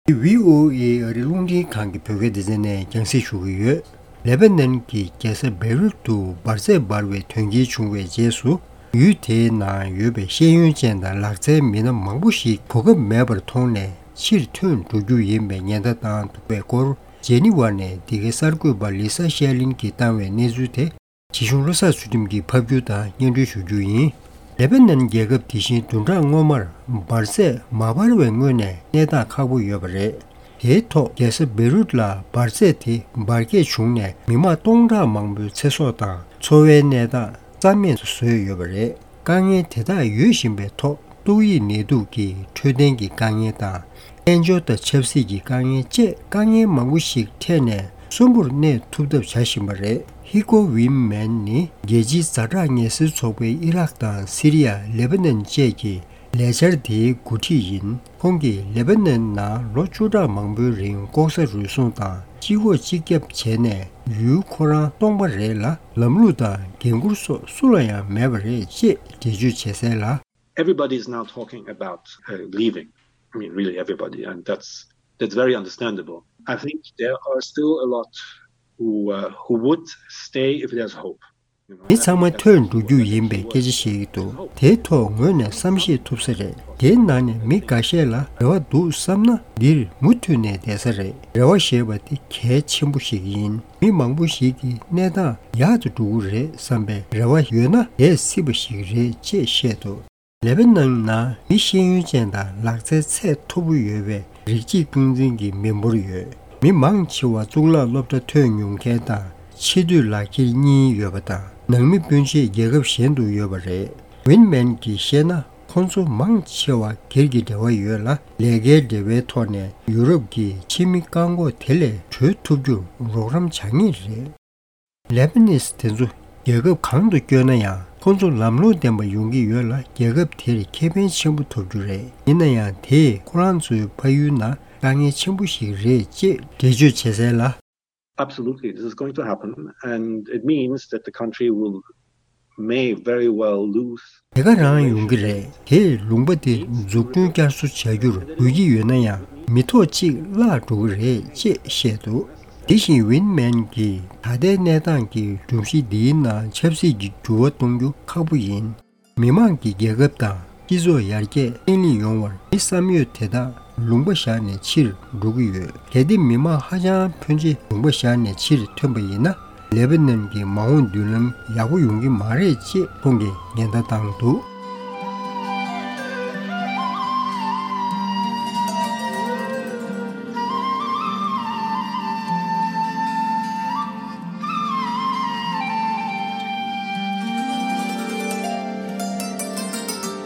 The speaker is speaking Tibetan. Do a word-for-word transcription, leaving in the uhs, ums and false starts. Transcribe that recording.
འདི་བྷི་ཨོ་ཨེ་ཨ་རིའི་རླུང་འཕྲིན་ཁང་གི་བོད་སྐད་སྡེ་ཚན་ནས་རྒྱང་སྲིང་ཞུ་གི་ཡོད། ལེ་པ་ནན་གྱི་རྒྱལ་ས་བེ་རུད་དུ་འབར་རྫས་འབར་བའི་དོན་རྐྱེན་བྱུང་བའི་རྗེས་སུ། ཡུལ་དེའི་ནང་ཡོད་པའི་ཤེས་ཡོན་ཅན་དང་ལག་རྩལ་མི་སྣ་མང་པོ་ཞིག་གོ་སྐབས་མེད་པར་མཐོང་ནས་ཕྱིར་ཐོན་འགྲོ་རྒྱུ་ཡིན་པའི་ཉེན་བརྡ་བཏང་འདུག་པའི་སྐོར། ཇེ་ནི་ཝ་ནས་འདི་གའི་གསར་འགོད་པ་ལི་ས་ཤེ་ལིན་གྱིས་བཏང་བའི་གནས་ཚུལ་དེ། ཇི་གཞུང་བློ་བཟང་ཚུལ་ཁྲིམས་ཀྱིས་ཕབ་སྒྱུར་དང་སྙན་སྒྲོན་ཞུ་རྒྱུ་ཡིན། ལེ་པ་ནན་རྒྱལ་ཁབ་དེ་བཞིན་བདུན་ཕྲག་སྔོན་མར་འབར་རྫས་མ་འབར་བའི་སྔོན་ནས་གནས་སྟངས་ཁག་པོ་ཡོད་པ་རེད། དེའི་ཐོག་རྒྱལ་ས་བེ་རུད་ལ་འབར་རྫས་དེ་འབར་གས་བྱུང་ནས་མི་མང་སྟོང་ཕྲག་མང་པོའི་ཚེ་སྲོག་དང་འཚོ་བའི་གནས་སྟངས་རྩ་མེད་དུ་བཟོས་ཡོད་པ་རེད། དཀའ་ངལ་དེ་དག་ཡོད་བཞིན་པའི་ཐོག་ཏོག་དབྱིབས་ནད་དུག་གི་འཕྲོད་བསྟེན་གྱི་དཀའ་ངལ་དང་། དཔལ་འབྱོར་དང་ཆབ་སྲིད་ཀྱི་དཀའ་ངལ་བཅས་དཀའ་ངལ་མང་པོ་ཞིག་འཕྲད་ནས་གསོན་པོར་གནས་ཐུབ་ཐབས་བྱ་བཞིན་པ་རེད། ཧི་ཀོ་ཝིན་མན་ནི་རྒྱལ་སྤྱིའི་ཛ་དྲག་ངལ་སེལ་ཚོགས་པའི་ཨི་རག་དང་སི་རི་ཡ། ལེ་པ་ནན་བཅས་ཀྱི་ལས་འཆར་དེའི་འགོ་ཁྲིད་ཡིན། ཁོང་གིས་ལེ་པ་ནན་ནང་ལོ་བཅུ་ཕྲག་མང་པོའི་རིང་ལྐོག་ཟ་རུལ་སུངས་དང་གཅིག་གོ་གཅིག་རྒྱབ་བྱས་ནས་ཡུལ་ཁོ་རང་སྟོང་པ་རེད་ལ། ལམ་ལུགས་དང་འགན་ཁུར་སོགས་སུ་ལ་ཡང་མེད་པ་རེད་ཅེས་འགྲེལ་བརྗོད་བྱས་གསལ་ལ། Everybody is now talking about uh, leaving. I mean, really everybody, and that's that's very understandable. I think there are still a lot who uh, who would stay if there's hope. You know, མི་ཚང་མ་ཐོན་འགྲོ་རྒྱུ་ཡིན་པའི་སྐད་ཆ་བཤད་ཀྱི་འདུག་དེའི་ཐོག་ངོས་ནས་བསམ་ཤེས་ཐུབ་ས་རེད། དེའི་ནང་ནས་མི་འགའ་ཤས་ལ་རེ་བ་འདུག་བསམ་ན་འདིར་མུ་མཐུད་ནས་བསྡད་ས་རེད། རེ་བ་ཞེས་པ་དེ་གལ་ཆེན་པོ་ཞིག་ཡིན། མི་མང་པོ་ཞིག་གིས་གནས་སྟངས་ཡག་ཏུ་འགྲོ་གི་རེད་བསམ་པའི་རེ་བ་ཡོད་ན་བསྡད་སྲིད་པ་ཞིག་རེད་ཅེས་བཤད་འདུག་ལེ་པ་ནན་ནང་མི་ཤེས་ཡོན་ཅན་དང་ལག་རྩལ་ཚད་མཐོ་པོ་ཡོད་པའི་རིགས་གཅིག་རྐང་འཛིན་གྱི་མི་འབོར་ཡོད། མི་མང་ཆེ་བ་གཙུག་ལག་སློབ་གྲྭ་ཐོན་མྱོང་མཁན་དང་ཕྱི་སྡོད་ལག་འཁྱེར་གཉིས་ཡོད་པ་དང་ནང་མི་སྤུན་མཆེད་རྒྱལ་ཁབ་གཞན་དུ་ཡོད་པ་རེད། ཝིན་མན་གྱིས་བཤད་ན། ཁོང་ཚོ་མང་ཆེ་བ་སྒེར་གྱི་འབྲེལ་བ་ཡོད་ལ། ལས་ཀའི་འབྲེལ་བའི་ཐོག་ནས་ཡུ་རོབ་ཀྱི་ཕྱི་མི་བཀག་འགོག་དེ་ལས་གྲོལ་ཐུབ་རྒྱུར་རོགས་རམ་བྱ་ངེས་རེད། ལེ་པ་ནིས་དེ་ཚོ་རྒྱལ་ཁབ་གང་དུ་བསྐྱོད་ན་ཡང་ཁོང་ཚོ་ལམ་ལྷོང་ལྡན་པ་ཡོང་གི་ཡོད་ལ། རྒྱལ་ཁབ་དེར་ཁེ་ཕན་ཆེན་པོ་ཐོབ་རྒྱུ་རེད། ཡིན་ན་ཡང་དེས་ཁོ་རང་ཚོའི་ཕ་ཡུལ་ནང་དཀའ་ངལ་ཆེན་པོ་ཞིག་རེད་ཅེས་འགྲེལ་བརྗོད་བྱས་གསལ་ལ། Absolutely, this is going to happen, and it means that the country will may very well lose. དེ་ག་རང་ཡོང་གི་རེད། དེས་ལུང་པ་དེ་འཛུགས་སྐྲུན་བསྐྱར་གསོ་བྱ་རྒྱུར་དགོས་ཀྱི་ཡོད་ན་ཡང་མི་ཐོག་གཅིག་བརླག་འགྲོ་གི་རེད་ཅེས་བཤད་འདུག་དེ་བཞིན་ཝིན་མན་གྱིས་ད་ལྟའི་གནས་སྟངས་ཀྱི་སྒྲོམ་གཞི་འདིའི་ནང་ཆབ་སྲིད་ཀྱི་འགྱུར་བ་གཏོང་རྒྱུ་ཁག་པོ་ཡིན། མི་མང་གི་རྒྱལ་ཁབ་དང་སྤྱི་ཚོགས་ཡར་རྒྱས་བརྟན་ལྷིང་ཡོང་བར་མི་བསམ་ཡོད་དེ་དག་ལུང་པ་བཞག་ནས་ཕྱིར་འགྲོ་གི་ཡོད། གལ་ཏེ་མི་མང་ཧ་ཅང་ཕོན་ཆེ་ལུང་པ་བཞག་ནས་ཕྱིར་ཐོན་པ་ཡིན་ན། ལེ་པ་ནན་གྱི་མ་འོངས་མདུན་ལམ་ཡག་པོ་ཡོང་གི་མ་རེད་ཅེས་ཁོང་གིས་ཉེན་བརྡ་བཏང་འདུག